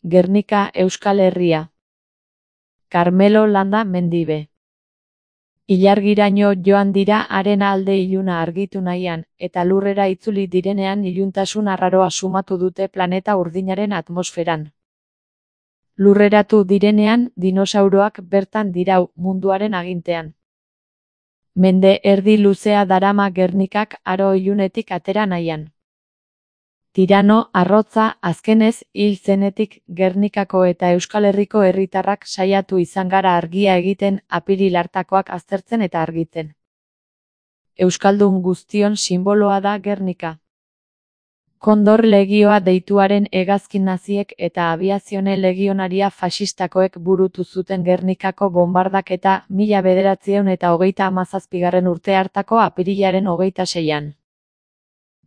Gernika, Euskal Herria. Carmelo Landa Mendibe. Ilargiraino joan dira haren alde iluna argitu nahian, eta lurrera itzuli direnean iluntasun arraroa sumatu dute planeta urdinaren atmosferan. Lurreratu direnean, dinosauroak bertan dirau munduaren agintean. Mende erdi luzea darama Gernikak aro ilunetik atera nahian. Tirano, arrotza, azkenez, hil zenetik Gernikako eta Euskal Herriko herritarrak saiatu izan gara argia egiten, apiril hartakoak aztertzen eta argitzen. Euskaldun guztion sinboloa da Gernika. Kondor legioa deituaren hegazkin naziek eta abiazione legionaria fasistakoek burutu zuten Gernikako bombardaketa 1937 urte hartako apirilaren 26an.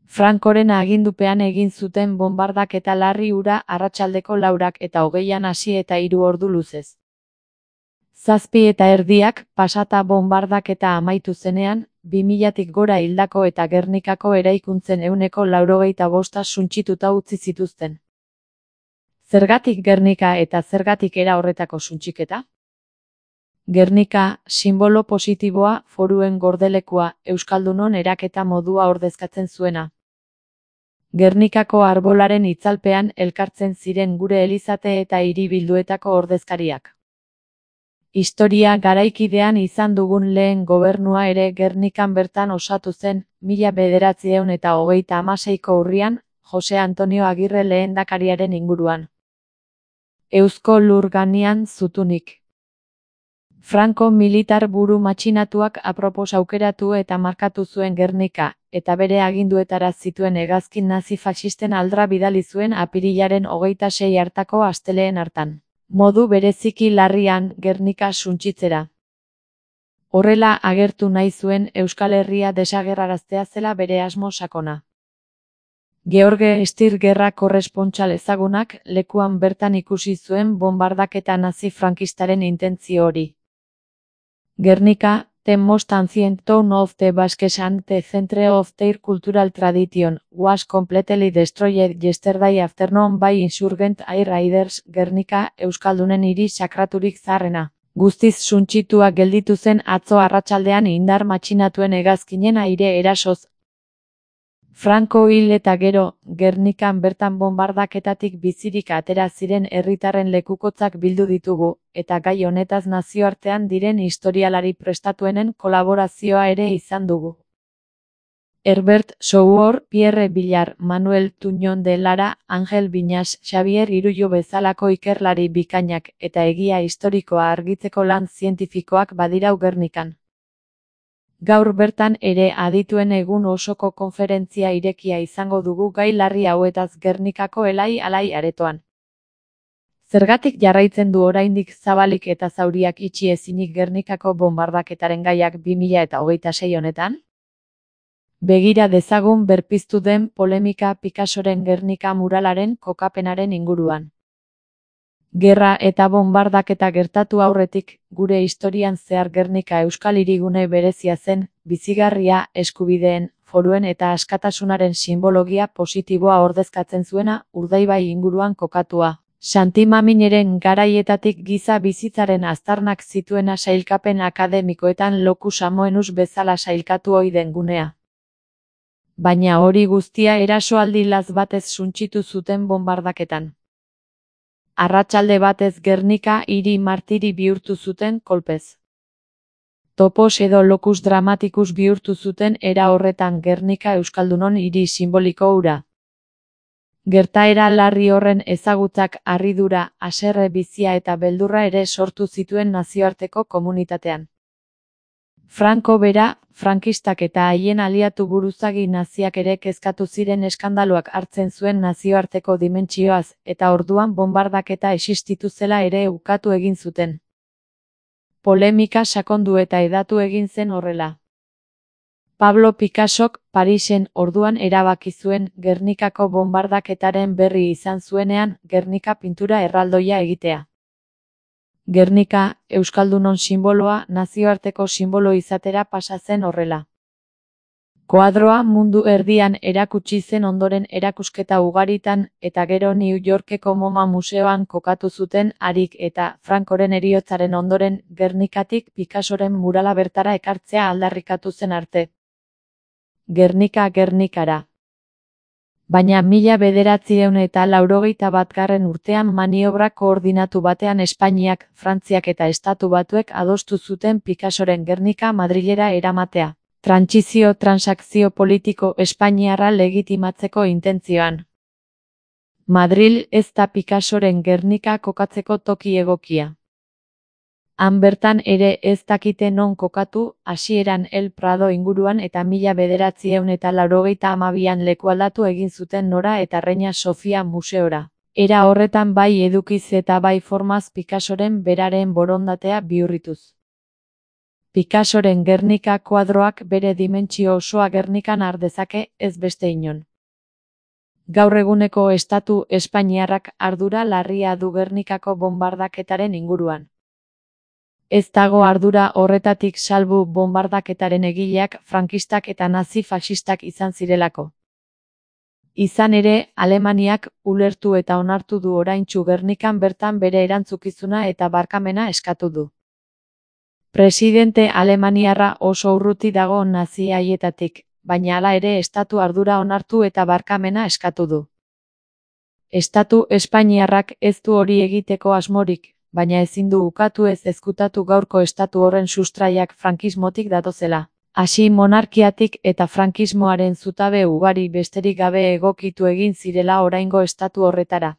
Francoren agindupean egin zuten bombardaketa larri hura arratsaldeko 4 eta 20an hasi eta 3 ordu luzez. 7:30 pasata bombardaketa amaitu zenean, 2000tik gora hildako eta Gernikako eraikuntzen 95% suntsituta utzi zituzten. Zergatik Gernika eta zergatik era horretako suntsiketa? Gernika, sinbolo positiboa, foruen gordelekua, euskaldunon eraketa modua ordezkatzen zuena. Gernikako arbolaren itzalpean elkartzen ziren gure elizate eta hiribilduetako ordezkariak. Historia garaikidean izan dugun lehen gobernua ere Gernikan bertan osatu zen, 1936ko urrian, Jose Antonio Agirre lehendakariaren inguruan. Eusko Lurganian zutunik. Franco militar buru matxinatuak apropos aukeratu eta markatu zuen Gernika, eta bere aginduetara zituen hegazkin nazi faxisten aldra bidali zuen apirilaren 26 hartako asteleen hartan. Modu bereziki larrian Gernika suntsitzera. Horrela agertu nahi zuen Euskal Herria desagerraraztea zela bere asmo sakona. George Stier gerra korrespontxal ezagunak lekuan bertan ikusi zuen bombardaketa nazi frankistaren intentzio hori. Gernika, the most ancient town of the Basques and the center of their cultural tradition, was completely destroyed yesterday afternoon by insurgent air raiders. Gernika, euskaldunen hiri sakraturik zaharrena. Guztiz suntsitua gelditu zen atzo arratsaldean indar matxinatuen hegazkinen aire erasoz. Franco hil eta gero, Gernikan bertan bombardaketatik bizirik atera ziren herritarren lekukotzak bildu ditugu, eta gai honetaz nazioartean diren historialari prestatuenen kolaborazioa ere izan dugu. Herbert Souhor, Pierre Villar, Manuel Tuñón de Lara, Angel Viñas, Xavier Irullo bezalako ikerlari bikainak eta egia historikoa argitzeko lan zientifikoak badirau Gernikan. Gaur bertan ere adituen egun osoko konferentzia irekia izango dugu gai larri hauetaz Gernikako elai aretoan. Zergatik jarraitzen du oraindik zabalik eta zauriak itxi ezinik Gernikako bombardaketaren gaiak 2026 honetan? Begira dezagun berpiztu den polemika Picassoren Gernika muralaren kokapenaren inguruan. Gerra eta bombardaketa gertatu aurretik, gure historian zehar Gernika euskal hirigune berezia zen, bizigarria, eskubideen, foruen eta askatasunaren sinbologia positiboa ordezkatzen zuena, Urdaibai inguruan kokatua. Santi Mamineren garaietatik giza bizitzaren aztarnak zituena sailkapen akademikoetan locus amoenus bezala sailkatu ohi den gunea. Baina hori guztia erasoaldi laz batez suntsitu zuten bombardaketan. Arratsalde batez Gernika hiri martiri bihurtu zuten kolpez. Topos edo locus dramaticus bihurtu zuten era horretan Gernika euskaldunon hiri simboliko hura. Gertaera larri horren ezagutzak harridura, haserre bizia eta beldurra ere sortu zituen nazioarteko komunitatean. Franco bera, frankistak eta haien aliatu buruzagi naziak ere kezkatu ziren eskandaloak hartzen zuen nazioarteko dimentsioaz, eta orduan bombardaketa existitu zela ere ukatu egin zuten. Polemika sakondu eta hedatu egin zen horrela. Pablo Picassok Parisen orduan erabaki zuen Gernikako bombardaketaren berri izan zuenean Gernika pintura erraldoia egitea. Gernika, euskaldunon sinboloa nazioarteko sinbolo izatera pasa zen horrela. Koadroa mundu erdian erakutsi zen ondoren erakusketa ugaritan eta gero New Yorkeko MoMA museoan kokatu zuten harik eta Francoren heriotzaren ondoren Gernikatik Picassoren murala bertara ekartzea aldarrikatu zen arte. Gernika Gernikara. Baina 1981 urtean maniobra koordinatu batean Espainiak, Frantziak eta Estatu Batuek adostu zuten Picassoren Gernika Madrilera eramatea. Transakzio politiko espainiarra legitimatzeko intentzioan. Madril ez da Picassoren Gernika kokatzeko toki egokia. Han bertan ere ez dakite non kokatu, hasieran El Prado inguruan eta 1982an lekualdatu egin zuten Nora eta Reina Sofia museora. Era horretan bai edukiz eta bai formaz Picassoren beraren borondatea bihurrituz. Picassoren Gernika koadroak bere dimentsio osoa Gernikan har dezake, ez beste inon. Gaur eguneko Estatu Espainiarrak ardura larria du Gernikako bonbardaketaren inguruan. Ez dago ardura horretatik salbu bonbardaketaren egileak frankistak eta nazi-faxistak izan zirelako. Izan ere, Alemaniak ulertu eta onartu du oraintsu Gernikan bertan bere erantzukizuna eta barkamena eskatu du. Presidente alemaniarra oso urruti dago nazi haietatik, baina hala ere estatu ardura onartu eta barkamena eskatu du. Estatu Espainiarrak ez du hori egiteko asmorik, baina ezin du ukatu ez ezkutatu gaurko estatu horren sustraiak frankismotik datozela. Hasi monarkiatik eta frankismoaren zutabe ugari besterik gabe egokitu egin zirela oraingo estatu horretara.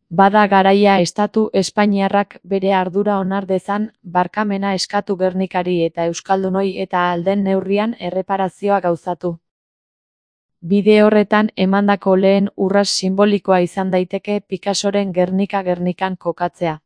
Bada garaia Estatu Espainiarrak bere ardura onar dezan, barkamena eskatu Gernikari eta euskaldunoi eta ahal den neurrian erreparazioa gauzatu. Bide horretan emandako lehen urrats sinbolikoa izan daiteke Picassoren Gernika Gernikan kokatzea.